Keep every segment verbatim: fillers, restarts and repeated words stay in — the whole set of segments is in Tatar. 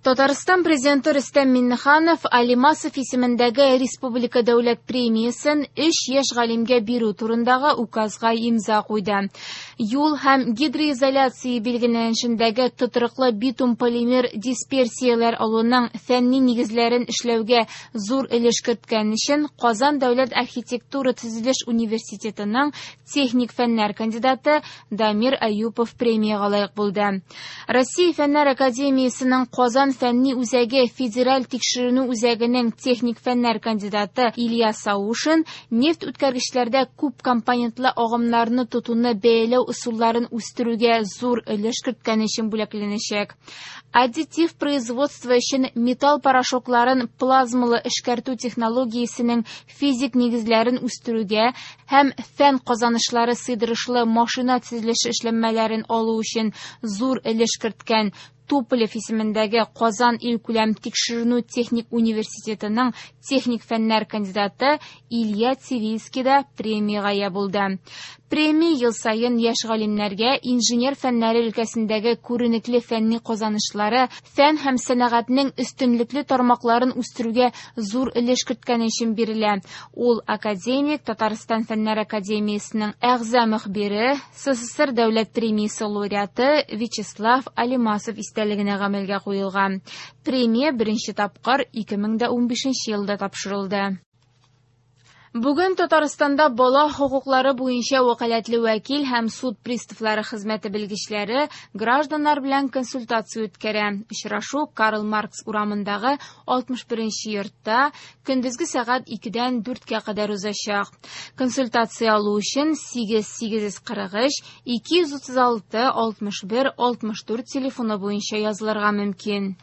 Татарстан президенты Рөстәм Миңнеханов Алимасов исемендәге Республика дәүләт премиясен өч яшь галимгә бирү турындагы указга имза куйды. Юл һәм гидроизоляция билгеләнешендәге тотрыклы битум полимер дисперсияләр алуның фәнни нигезләрен эшләүгә зур өлеш керткән өчен Казан дәүләт архитектура төзелеш университетының техник фәннәр кандидаты Дамир Аюпов премиягә лаек булды. Россия Фәннәр академиясенең Казан фәнни үзәге федераль тикшеренү үзәгенең техник фәннәр кандидаты Илья Саушин нефть үткәргечләрдә күп компонентлы агымнарны тотуны бәяләү ысулларын үстерүгә зур өлеш керткән өчен бүләкләнәчәк. Аддитив производство өчен металл порошокларын плазмалы эшкәртү технологиясенең физик нигезләрен үстерүгә һәм фән казанышлары сыйдырышлы машина төзелеше эшләнмәләрен алу өчен зур өлеш керткән Туполев исемендәге Казан илкүләм тикшеренү техник университетының техник фәннәр кандидаты Илья Цивильский да премиягә ия булды. Премия ел саен яшь галимнәргә инженер фәннәре өлкәсендәге күренекле фәнни казанышлары, фән һәм сәнәгатьнең өстенлекле тармакларын үстерүгә зур өлеш керткән өчен бирелә. Ул академик, Татарстан Фәннәр академиясенең әгъза мөхбире, СССР дәүләт премиясе лауреаты Вячеслав Алимасов истәлегенә гамәлгә куелган. Премия беренче тапкыр ике мең дә унбишенче елда тапшырылды. Бүген Татарстанда бала хокуклары буенча вәкаләтле вәкил һәм суд приставлары хезмәте белгечләре гражданнар белән консультация үткәрә. Очрашу Карл Маркс урамындагы алтмыш беренче йортта көндезге сәгать икедән дүрткә кадәр узачак. Консультация алу өчен сигез сигез йөз кырык өч ике йөз утыз алты алтмыш бер алтмыш дүрт телефоны буенча язылырга мөмкин.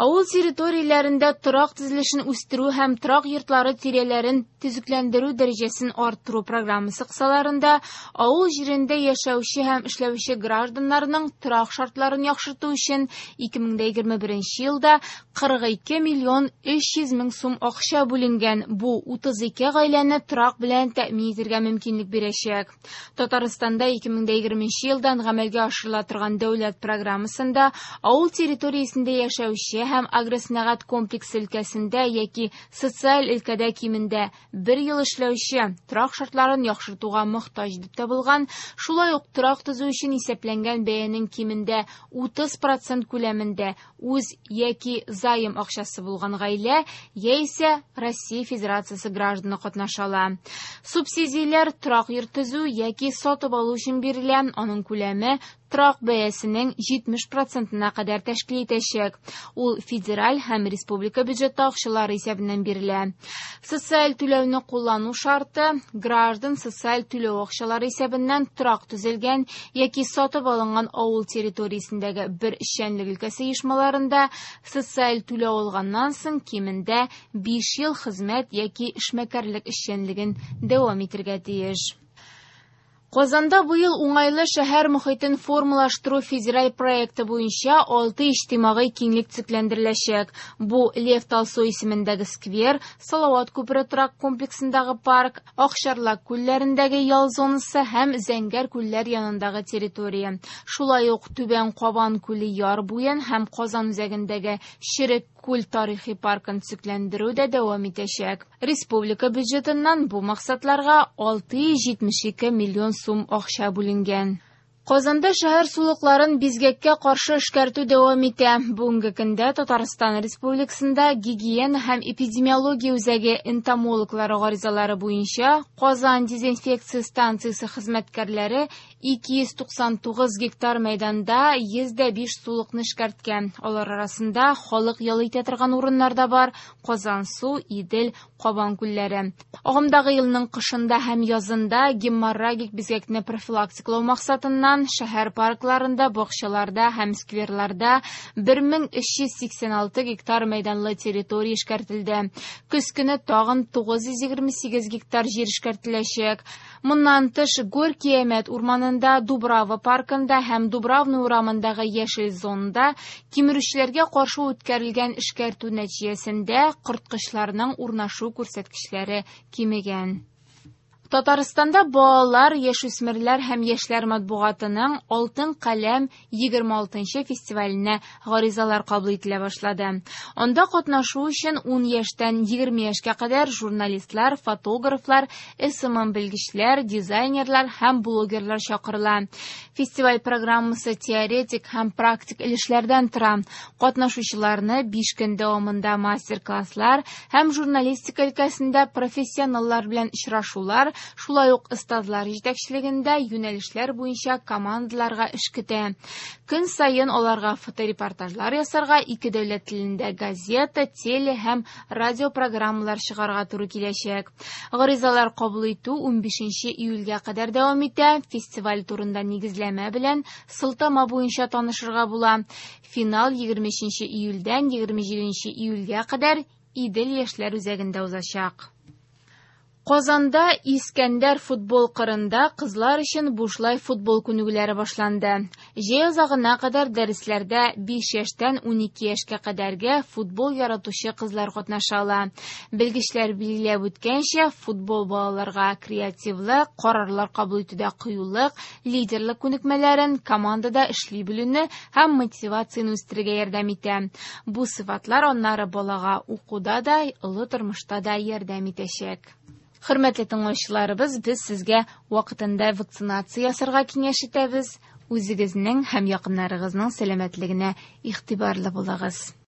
Авыл территорияләрендә торак төзелешен үстерү һәм торак йортлары тирәләрен төзекләндерү дәрәҗәсен арттыру программасы кысаларында авыл җирендә яшәүче һәм эшләүче гражданнарның торак шартларын яхшырту өчен ике мең дә егерме беренче елда кырык ике миллион өч йөз мең сум акча бүленгән. Бу утыз ике гаиләне торак белән тәэмин итәргә мөмкинлек бирәчәк. Татарстанда ике мең дә егерменче елдан гамәлгә ашырыла торган дәүләт программасында авыл территориясендә яшәүче һәм агросәнәгать комплексы өлкәсендә яки социаль өлкәдә кимендә бер ел эшләүче торак шартларын яхшыртуга мохтаҗ дип табылган, шулай ук торак төзү өчен исәпләнгән бәянең кимендә утыз процент күләмендә үз яки займ акчасы булган гаилә яисә Россия Федерациясе гражданы катнаша ала. Субсидияләр торак йорт төзү яки сатып алу өчен бирелә, аның күләме торак бәясенең җитмеш процентына кадәр тәшкил итәчәк. Ул федераль һәм республика бюджеты акчалары исәбеннән бирелә. Социаль түләүне куллану шарты граждан социаль түләү акчалары исәбеннән торак төзелгән яки сатып алынган авыл территориясендәге бер эшчәнлек өлкәсе оешмаларында социаль түләү алганнан соң кимендә биш ел хезмәт яки эшмәкәрлек эшчәнлеген дәвам итәргә тиеш. Казанда быел уңайлы шәһәр мөхитен формалаштыру федераль проекты буенча алты иҗтимагый киңлек төзекләндереләчәк. Бу Лев Толстой исемендәге сквер, Салават күпере торак комплексындагы парк, Акчарлак күлләрендәге ял зонасы һәм Зәңгәр күлләр янындагы территория. Шулай ук Түбән Кабан күле яр буен һәм Казан үзәгендәге Черек күл тарихи паркын төзекләндерү дә дәвам итәчәк. Республика бюджетыннан бу максатларга алты йөз җитмеш ике миллион сум акча бүленгән. Казанда шәһәр сулыкларын бизгәккә каршы эшкәртү дәвам итә. Бүгенге көндә Татарстан Республикасында гигиена һәм эпидемиология үзәге энтомологлары гаризалары буенча Казан дезинфекция станциясе хезмәткәрләре ике йөз туксан тугыз гектар мәйданда йөз дә биш сулыкны эшкәрткән. Алар арасында халык ял итә торган урыннар да бар: Казансу, Идел, Кабан күлләре. Агымдагы елның кышында һәм язында геморрагик бизгәкне профилактикалау максатыннан шәһәр паркларында, бакчаларда һәм скверларда бер мең өч йөз сиксән алты гектар мәйданлы территория эшкәртелде. Көз көне тагын тугыз йөз егерме сигез гектар җир эшкәртеләчәк. Моннан тыш Горький Әмәт урманында, Дубрава паркында һәм Дубравный урамындагы яшел зонада кимерүчеләргә каршы үткәрелгән эшкәртү нәтиҗәсендә корткычларның урнашу күрсәткечләре кимегән. Татарстанда балалар, яшүсмерләр һәм яшьләр матбугатының «Алтын каләм» егерме алтынчы фестиваленә гаризалар кабул ителә башлады. Анда катнашу өчен ун яшьтән егерме яшькә кадәр журналистлар, фотографлар, эс эм эм белгечләр, дизайнерлар һәм блогерлар чакырыла. Фестиваль программасы теоретик һәм практик өлешләрдән тора. Катнашучыларны биш көн дәвамында мастер-класслар һәм журналистика өлкәсендә профессионаллар белән очрашулар, шулай ук остазлар җитәкчелегендә юнәлешләр буенча командаларга эш көтә. Көн саен аларга фоторепортажлар ясарга, ике дәүләт телендә газета, теле һәм радио программалар чыгарга туры киләчәк. Гаризалар кабул итү унбишенче июльгә кадәр дәвам итә. Фестиваль турында нигезләмә белән сылтама буенча танышырга була. Финал егерме өченче июльдән егерме җиденче июльгә кадәр Идел яшьләр үзәгендә узачак. Казанда Искәндәр футбол кырында кызлар өчен бушлай футбол күнегүләре башланды. Җәй азагына кадәр дәресләрдә биш яшьтән унике яшькә кадәрге футбол яратучы кызлар катнаша ала. Белгечләр билгеләп үткәнчә, футбол балаларга креативлык, карарлар кабул итүдә кыюлык, лидерлык күнекмәләрен, командада эшли белүне һәм мотивацияне үстерергә ярдәм итә. Бу сыйфатлар аннары балага укуда да, олы тормышта да ярдәм итәчәк. Хөрмәтле тыңлаучыларыбыз, без сезгә вакытында вакцинация ясарга киңәш итәбез. Үзегезнең һәм якыннарыгызның сәламәтлегенә игътибарлы булыгыз.